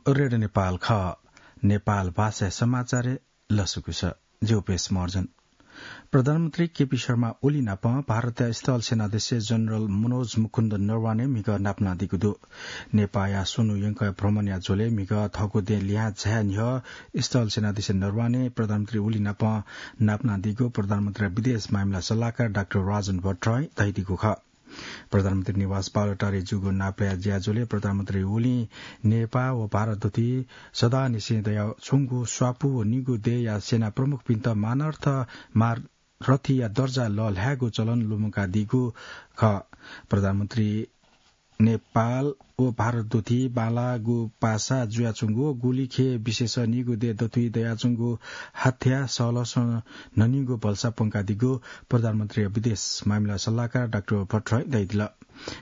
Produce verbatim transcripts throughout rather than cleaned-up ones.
रेडियो नेपाल खः। नेपाल भाषा समाचार लसकुस। ज्योपेश महर्जन। प्रधानमन्त्री केपी शर्मा ओली नाप भारतया स्थल सेनाध्यक्ष जनरल मनोज मुकुन्द नरवाने म्हिगः नापनादीगु दु। नेपाःया स्वन्हु यंकया भ्रमणया झ्वलय् म्हिगः थःगु दें लिहां झाये न्ह्यः स्थल सेनाध्यक्ष नरवाने प्रधानमन्त्री ओली नाप नापनादीगु प्रधानमन्त्रीया विदेश मामिला सल्लाहकार डाक्टर राजन भट्टराईं धयादीगु खः। प्रधानमन्त्री निवास बालुवाटारय् जूगु नापलाये ज्याझ्वलय् प्रधानमन्त्री ओलीं नेपाः व भारत दथुइ सदांनिसें दयाच्वंगु स्वापू व निगू देय्‌या सेना प्रमुखपिन्त मानार्थ मार रथिया दर्जा लःल्हायेगु चलन लुमंकादीगु खः। प्रधानमन्त्री नेपाल व भारत दथुइ बांलाःगु पासा जुयाच्वंगु गुलिखे विशेष निगू देय् दथुइ दयाच्वंगु हाथ्या सहलसं न्हनीगु भलसा प्वंकादीगु प्रधानमन्त्रीया विदेश मामिला सल्लाहकार डाक्टर भट्टराईं धयादिल।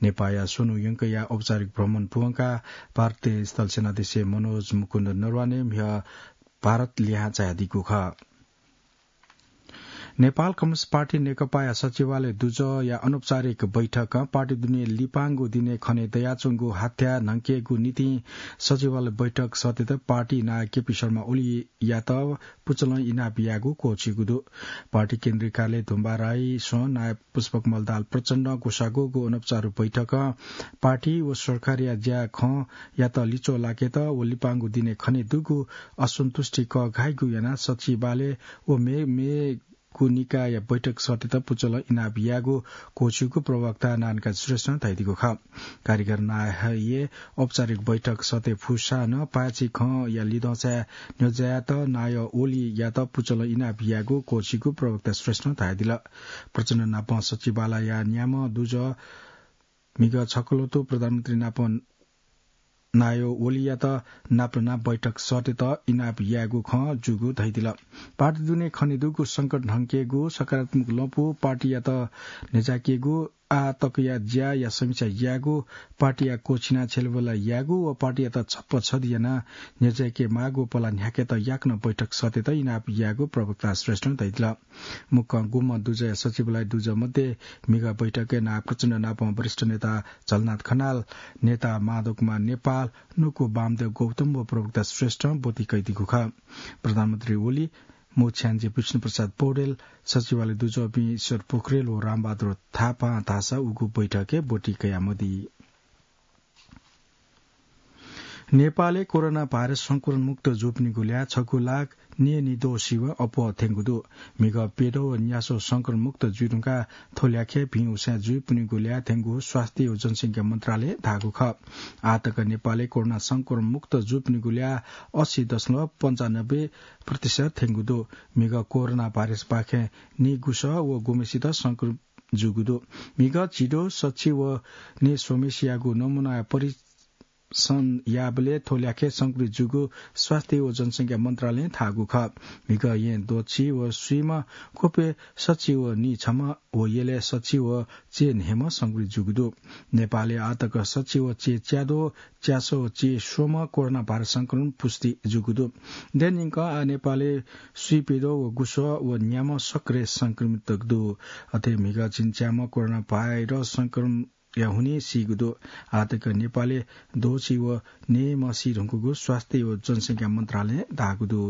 नेपाःया स्वन्हु यंकया औपचारिक भ्रमण पूवंकाः भारतीय स्थल सेनाध्यक्ष मनोज मुकुन्द नरवाने म्हिगः भारत लिहां झायादीगु खः। नेपाल कम्युनिस्ट पार्टी नेकपाया सचिवालय दुजःया अनौपचारिक बैठकं पार्टी दुने लिपांगु दिने खने दयाच्वंगु हाथ्या न्हंकेगु निंतिं सचिवालय बैठक सःतेत पार्टी नायः केपी शर्मा ओलीयात पुचलं इनाप यायेगु क्वःछिगु दु। पार्टी केन्द्रीय कार्यालय धुम्बाराइसं नायः पुष्पकमल दाहाल प्रचण्डं ग्वसाःगु अनौपचारिक बैठकं पार्टी व सरकारया ज्या खँयात लिच्वः लाकेत व लिपांगु दिने खने दुगु असन्तुष्टि कःघाइगु यानाः सचिवालय व मे-, मेगु निकायया बैठक सःतेत पुचलं इनाप यायेगु क्वःछिगु प्रवक्ता नारायणकाजी श्रेष्ठं धयादीगु खः। कारिगर नायःया औपचारिक बैठक सःते फुसा नं पाय्‌छि खँया लिधंसाय् न्ह्यज्यायेत नायः ओलीयात पुचलं इनाप यायेगु क्वःछिगु प्रवक्ता श्रेष्ठं धयादिल। प्रचण्ड नाप सचिवालयया न्याम्ह दुजः म्हिगः छकः ल्वतु प्रधानमन्त्री नाप नायः ओलीयात नापलानाः बैठक सःतेत इनाप यायेगु खँ जूगु धयादिल। पार्टी दुने खने दुगु संकट न्हंकेगु, सकारात्मक लँपु पार्टीयात न्ह्यज्याकेगु, आः तकया ज्याया समीक्षा यायेगु, पार्टीया क्वःछिनाः छ्यलेबल्ला यायेगु व पार्टीयात छप्पछदि यानाः न्ह्यज्याके माःगु पला न्ह्याकेत याकनं बैठक सःतेत इनाप यायेगु प्रवक्ता श्रेष्ठं धयादिल। मुक्कं गुम्ह दुजःया सचिवालय दुजः मध्ये म्हिगः बैठकय् नायः प्रचण्ड नाप वरिष्ठ नेता झलनाथ खनाल, नेता माधव कुमार नेपाल, नुकु वामदेव गौतम व प्रवक्ता श्रेष्ठं ब्वति कयादीगु खः। प्रधानमन्त्री ओली, मू छ्याञ्जे विष्णुप्रसाद पौडेल, सचिवालय दुजःपिं ईश्वर पोखरेल व रामबहादुर थापां धाःसा उगु बैठकय् ब्वति कयामदी। नेपालय् कोरोना भाइरस संक्रमण मुक्त जूपिनिगु ल्याः छगू लाख न्यय्‌निद्वः सिबें अप्वः थ्यंगु दु। म्हिगः प्यद्वः व न्यासः संक्रमण मुक्त जुइधुंकाः थ्व ल्याखय् भिं उसाँय् जूपिनिगु ल्याः थ्यंगु स्वास्थ्य व जनसंख्या मन्त्रालयं धाःगु खः। आःतक नेपालय् कोरोना संक्रमण मुक्त जूपिनिगु ल्याः असी दशमलव पन्चानब्बे प्रतिशत थ्यंगु दु। म्हिगः कोरोना भाइरसपाखें नीगुसः व गुम्हेसित संक्रमित जूगु दु। म्हिगः झिद्वः, सछि व नीस्वम्हेसियागु नमूनाया परीक्षण याःबलय् थ्व ल्याखय् संक्रमित जूगु स्वास्थ्य व जनसंख्या मन्त्रालयं धाःगु खः। म्हिगः येँ द्वःछि व स्वीम्ह, ख्वपय् सछि व नीछम्ह व यलय् सछि व चय् न्हय्म्ह संक्रमित जूगु दु। नेपालय् आःतक सछि व चय् च्याद्वः, च्यासः व चय् स्वम्ह कोरोना भाइरस संक्रमण पुष्टि जूगु दु। देय्‌न्यंकं आः नेपालय् स्वीप्यद्वः व गुसः व न्याम्ह सक्रिय संक्रमित दु। अथे म्हिगः झिंच्याम्ह कोरोना भाइरस संक्रमणया हुनिं सीगु दु। आःतक नेपालय् द्वःछि व न्हय्म्ह सीधुंकूगु स्वास्थ्य व जनसंख्या मन्त्रालयं धाःगु दु।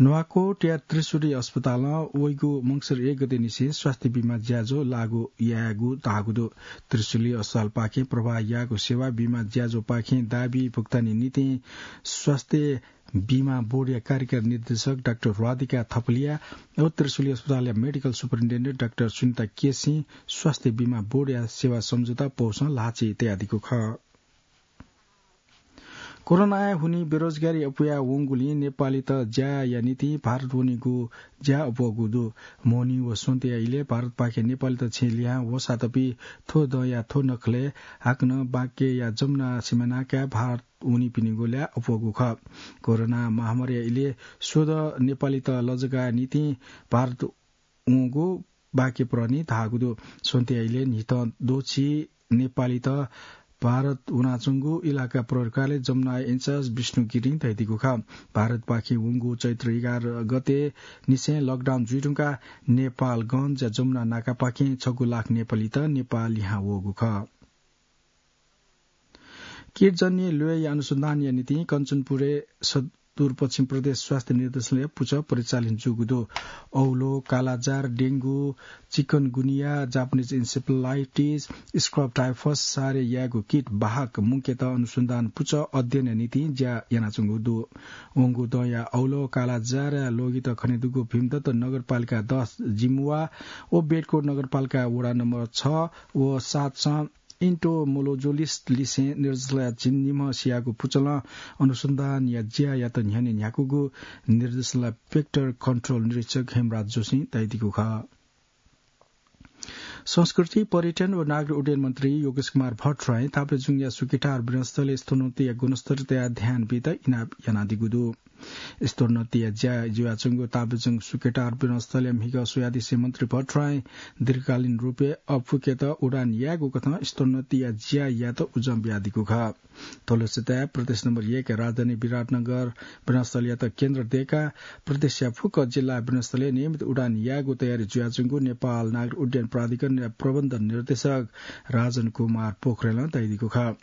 नुवाकोटया त्रिशुली अस्पतालं वइगु मंसिर एक गते निसें स्वास्थ्य बीमा ज्याझ्वः लागू यायेगु धाःगु दु। त्रिशुली अस्पतालपाखें प्रवाह याःगु सेवा बीमा ज्याझ्वःपाखें दाबी भुक्तानी निंतिं स्वास्थ्य बीमा बोर्डया कार्यकारी निर्देशक डाक्टर राधिका थपलिया व त्रिशुली अस्पतालया मेडिकल सुपरिन्टेन्डेन्ट डाक्टर सुनिता केसीं स्वास्थ्य बीमा बोर्डया सेवा सम्झौता पौसं ल्हाःचिं तयादीगु खः। कोरोनाया हुनिं बेरोजगारी अप्वया वंगुलिं नेपालीत ज्याया निंतिं भारत वनेगु ज्या अप्वःगु दु। मोहनी व स्वन्तिया इलय् भारतपाखें नेपालीत छेँ लिहां वःसातपि थ्व दँया थ्व नखलय् हाकनं बाँकेया जमुना सिमानाकाय् भारत वनीपिनिगु ल्याः अप्वःगु खः। कोरोना महामारीया इलय् स्वदँ नेपालीत लजगाःया निंतिं भारत वंगु बाँके प्रहरं धाःगु दु। स्वन्तिया इलय् न्हिथं द्वःछि नेपालीत भारत वनाच्वंगु इलाका प्रहरी कार्यालय जमुनाया इन्चार्ज विष्णु गिरिं धयादीगु खः। भारतपाखें वंगु चैत्र एघार गते निसें लकडाउन जुइधुंकाः नेपालगञ्जया जमुना नाकापाखें छगू लाख नेपालीत नेपाः लिहां वःगु खः। कीटजन्य ल्वय्‌या अनुसन्धानया निंतिं कञ्चनपुरय् सुदूरपश्चिम प्रदेश स्वास्थ्य निर्देशालय पुचः परिचालन जूगु दु। औलो, कालाजार, डेंगू, चिकनगुनिया, जापानिज इन्सेफेलाइटिस, स्क्रब टाइफस सारे यायेगु कीट बाहक मुंकेत अनुसन्धान पुचः अध्ययनया निंतिं ज्या यानाच्वंगु दु। वंगु दँया औलो, कालाजारया ल्वगित खनेदुगु भीमदत्त नगरपालिका दस जिमुवा व बेडकोट नगरपालिका वडा नम्बर छ व सातसं entomologist लिसें निर्देशालयया झिंनिम्ह सियागु पुचलं अनुसन्धानया ज्यायात न्ह्यःने न्ह्याकूगु निर्देशालय भेक्टर कन्ट्रोल निरीक्षक हेमराज जोशीं धयादीगु खः। संस्कृति, पर्यटन व नागरिक उड्डयन मन्त्री योगेश कुमार भट्टराईं ताप्लेजुङया सुकेटार विनस्थलय् स्तरोन्नतिया गुणस्तरतय् ध्यान बीत इनाप यानादीगु दु। स्तरोन्नतिया ज्या जुयाच्वंगु ताप्लेजुङ सुकेटार विनस्थलय् म्हिगः स्वयादिसें मन्त्री भट्टराईं दीर्घकालीन रूपय् अःपुकेत उडान यायेगु कथं स्तरोन्नतिया ज्यायात उजं बियादीगु खः। थ्व लक्ष्यताय् प्रदेश नम्बर एक राजधानी विराटनगर विनस्थलयात केन्द्र दय्‌काः प्रदेशया फुक्क जिल्ला विनस्थलय् नियमित उडान यायेगु तयारी जुयाच्वंगु नेपाल नागरिक उड्डयन प्राधिकरणया प्रबन्ध निर्देशक राजन कुमार पोखरेलं धयादीगु खः।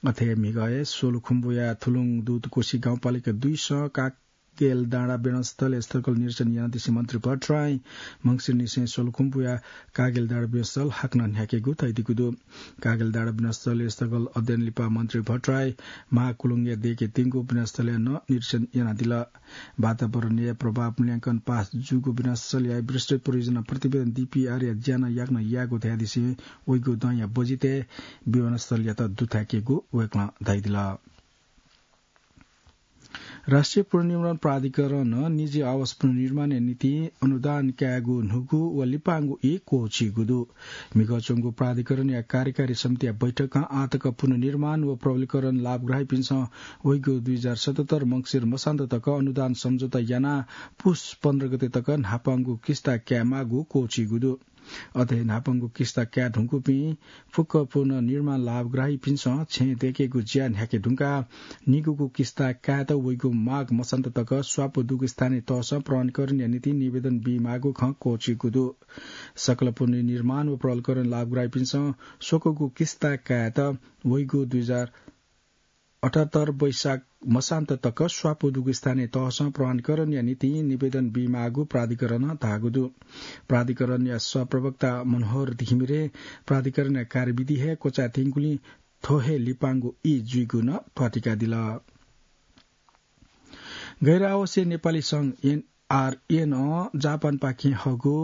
अथे म्हिगः हे सोलुखुम्बुया थुलुङ दुधकोशी गाउँपालिका दुइसं कागेलडाँडा विनस्थलय् स्थलगत निरीक्षण यानादिसें मन्त्री भट्टराईं मंसिरनिसें सोलुखुम्बुया कागेलडाँडा विनस्थल हाकनं न्ह्याकेगु धयादीगु दु। कागेलडाँडा विनस्थलय् स्थलगत अध्ययन लिपा मन्त्री भट्टराईं महाकुलुङया दय्‌के त्यंगु विनस्थलय् नं निरीक्षण यानादिल। वातावरणीय प्रभाव मूल्यांकन पास जूगु विनस्थलया विस्तृत परियोजना प्रतिवेदन DPR या ज्या नं याकनं याःगु धयादिसें वइगु दँया बजेटय् विनस्थलयात दुथ्याकेगु वय्‌कलं धयादिल। राष्ट्रिय पुनर्निर्माण प्राधिकरणं निजी आवास पुनर्निर्माणया निंतिं अनुदान कायेगु न्हूगु व लिपांगु ई क्वःछिइगु दु। म्हिगः च्वंगु प्राधिकरणया कार्यकारी समितिया बैठकं आःतक पुनर्निर्माण व प्रबलीकरण लाभग्राहीपिन्सं वइगु दुई हजार सतहत्तर मंसिर मसान्त तक अनुदान सम्झौता यानाः पुस पन्ध्र गते तक न्हापांगु किस्ता कायेमाःगु क्वःछिइगु दु। अथे न्हापांगु किस्ता काये धुंकूपिं फुक्क पुनर्निर्माण लाभग्राहीपिन्सं छेँ दय्‌केगु ज्या न्ह्याके धुंकाः निगूगु किस्ता कायेत वइगु माघ मसान्त तक स्वापू दुगु स्थानीय तहसं प्रमाणीकरणया निंतिं निवेदन बीमाःगु खँ क्वःछिइगु दु। सकल पुनर्निर्माण व प्रबलीकरण लाभग्राहीपिन्सं स्वकूगु किस्ता कायेत वइगु दुई हजार अठहत्तर वैशाख मसान्त तक स्वापू दुगु स्थानीय तहसं प्रमाणीकरणया निंतिं निवेदन बीमाःगु प्राधिकरणं धाःगु दु। प्राधिकरणया सहप्रवक्ता मनोहर घिमिरें प्राधिकरणया कार्यविधि हे क्वचायेत्यंगुलिं थ्व हे लिपांगु ई जुइगु नं त्वातिकादिल। गैर आवासीय नेपाली संघ एनआरएनं जापानपाखें हःगु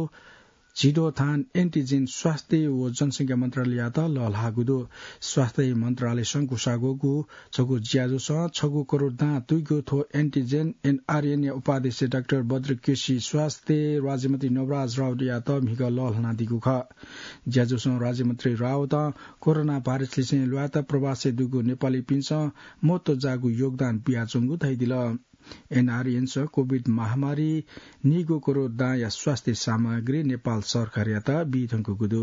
झिद्वः थान एन्टिजेन स्वास्थ्य व जनसंख्या मन्त्रालययात लःल्हाःगु दु। स्वास्थ्य मन्त्रालयसं ग्वसाःग्वःगु छगू ज्याझ्वलं छगू करोड दां तुइगु थ्व एन्टिजेन एनआरएनया उपाध्यक्ष डाक्टर बद्र केसी स्वास्थ्य राज्यमन्त्री नवराज राउतयात म्हिगः लःल्हानादीगु खः। ज्याझ्वलं राज्यमन्त्री राउतं कोरोना भाइरसलिसें ल्वायेत प्रवासय् दुगु नेपालीपिन्सं महत्त्वजाःगु योगदान बियाच्वंगु धयादिल। एनआरएनसं कोभिड महामारीं निगू करोड दांया स्वास्थ्य सामग्री नेपाल सरकारयात बीधुंकूगु दु।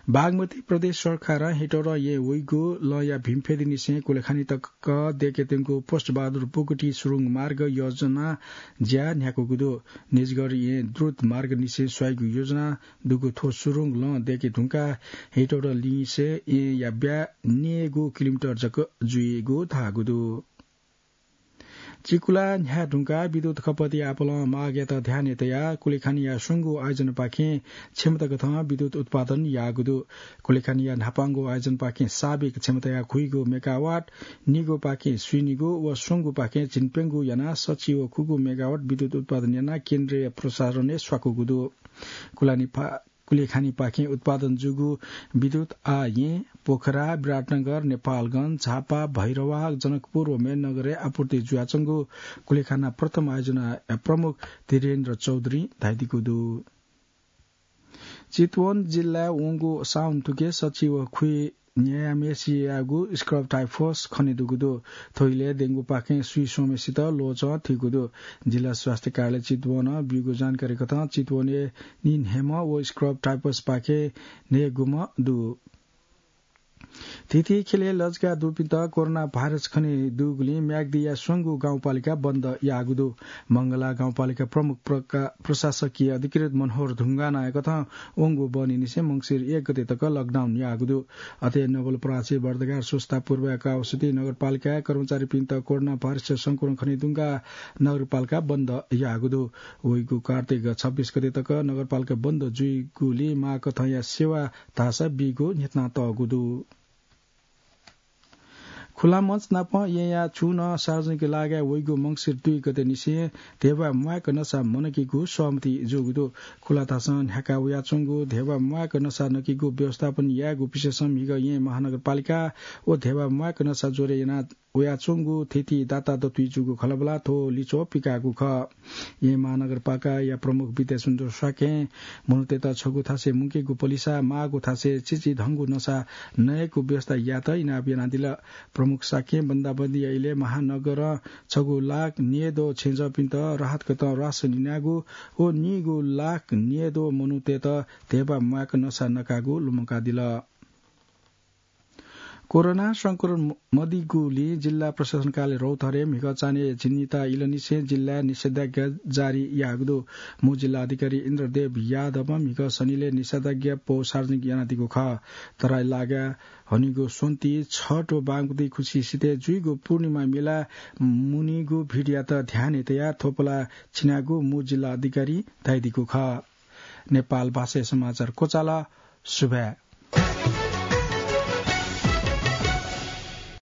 बागमती प्रदेश सरकारं हेटौडा येँ वइगु लँया भिमफेदीनिसें कुलेखानी तक दय्‌केत्यंगु पुष्पबहादुर बोगटी सुरुङ मार्ग योजना ज्या न्ह्याकूगु दु। निजगढ येँ द्रुत मार्गनिसें स्वाइगु योजना दुगु थ्व सुरुङ लँ दय्‌के धुंकाः हेटौडा लिसें येँया ब्याहा न्ययेगु किलोमिटर जक जुइगु धाःगु दु। चिकुला न्ह्याये धुंकाः विद्युत खपतया आपालं मागयात ध्यानय् तयाः कुलेखानीया स्वंगू आयोजनपाखें क्षमताकथं विद्युत उत्पादन याःगु दु। कुलेखानीया न्हापांगु आयोजनपाखें साबिक क्षमताया खुइगू मेगावाट, निगूपाखें स्वीनिगू व स्वंगूपाखें झिंप्यंगू यानाः सच्छि व खुगू मेगावाट विद्युत उत्पादन यानाः केन्द्रीय प्रसारणय् स्वाकूगु दु। कुलानी फा-, कुलेखानीपाखें उत्पादन जूगु विद्युत आः येँ, पोखरा, विराटनगर, नेपालगञ्ज, झापा, भैरवा, जनकपुर व मेहननगरय् आपूर्ति जुयाच्वंगु कुलेखाना प्रथम आयोजनाया प्रमुख धीरेन्द्र चौधुरीं धयादीगु दु। चितवन जिल्लाय् वंगु साउन थुखे सच्छि व खुइ न्ययाम्हेसियागु स्क्रब टाइफस खनेदुगु दु। थ्व इलय् डेंगूपाखें स्वीस्वम्हेसित ल्वचं थुइगु दु। जिल्ला स्वास्थ्य कार्यालय चितवनं ब्यूगु जानकारी कथं चितवनय् निन्हय्म्ह व स्क्रब टाइफसपाखें न्हय्‌गूम्ह दु। थीथी ख्यलय् लजगाः दुपिन्त कोरोना भाइरस खने दुगुलिं म्याग्दिया स्वंगू गाउँपालिका बन्द याःगु दु। मंगला गाउँपालिका प्रमुख प्रका-, प्रशासकीय अधिकृत मनोहर ढुङ्गानाया कथं वंगु बहनी निसें मंसिर एक गते तक लकडाउन याःगु दु। अथे नवलपरासी, बर्दगार, स्वस्ता, पूर्वा, कावासोती नगरपालिकाया कर्मचारीपिन्त कोरोना भाइरस संक्रमण खने दुंकाः नगरपालिका बन्द याःगु दु। वइगु कार्तिक छब्बीस गते तक नगरपालिका बन्द जुइगुलिं माःकथंया सेवा धाःसा बीगु न्ह्यथना तःगु दु। खुला मञ्च नाप येँया छुं नं सार्वजनिक लागाय् वइगु मंसिर दुई गते निसें धेबा म्वाय्क नसा मनकीगु सहमति जूगु दु। खुला थासं न्ह्याका वयाच्वंगु धेबा म्वाय्क नसा नकीगु व्यवस्थापन यायेगु विषयसं म्हिगः येँ महानगरपालिका व धेबा म्वाय्क नसा ज्वरे याना वयाच्वंगु थीथी दाता दतुइ जूगु खँल्हाबल्हा थ्व लिच्वः पिकाःगु खः। येँ महानगरपालिकाया प्रमुख विद्यासुन्दर शाक्यं मनूतय्त छगू थासय् मुंकेगु पलिसा, माःगु थासय् चिचिधंगु नसा नयेगु व्यवस्था यायेत इनाप यानादिल। प्रमुख शाक्यं बन्दाबन्दीया इलय् महानगरं छगू लाख न्यय्द्वः छेँजःपिन्त राहत कथं रासन इनागु व नीगू लाख न्यय्द्वः मनूतय्त धेबा म्वाय्क नसा नकागु लुमंकादिल। कोरोना संक्रमण मदीगुलिं जिल्ला प्रशासन कार्यालय रौतहरे म्हिगः चान्हय् झिंनिता इलंनिसें जिल्लाय् निषेधाज्ञा जारी याःगु दु। मू जिल्ला अधिकारी इन्द्रदेव यादवं म्हिगः सनिलय् निषेधाज्ञा पौ सार्वजनिक यानादीगु खः। तराई लागाय् हनीगु स्वन्ति, छठ व बागमती खुसी सितय् जुइगु पूर्णिमा मेला मुनीगु भिडयात ध्यानय् तयाः थ्व पलाः छिनागु मू जिल्ला अधिकारी धयादीगु खः। नेपाल भाषाय् समाचार क्वचाल। सुभाय्।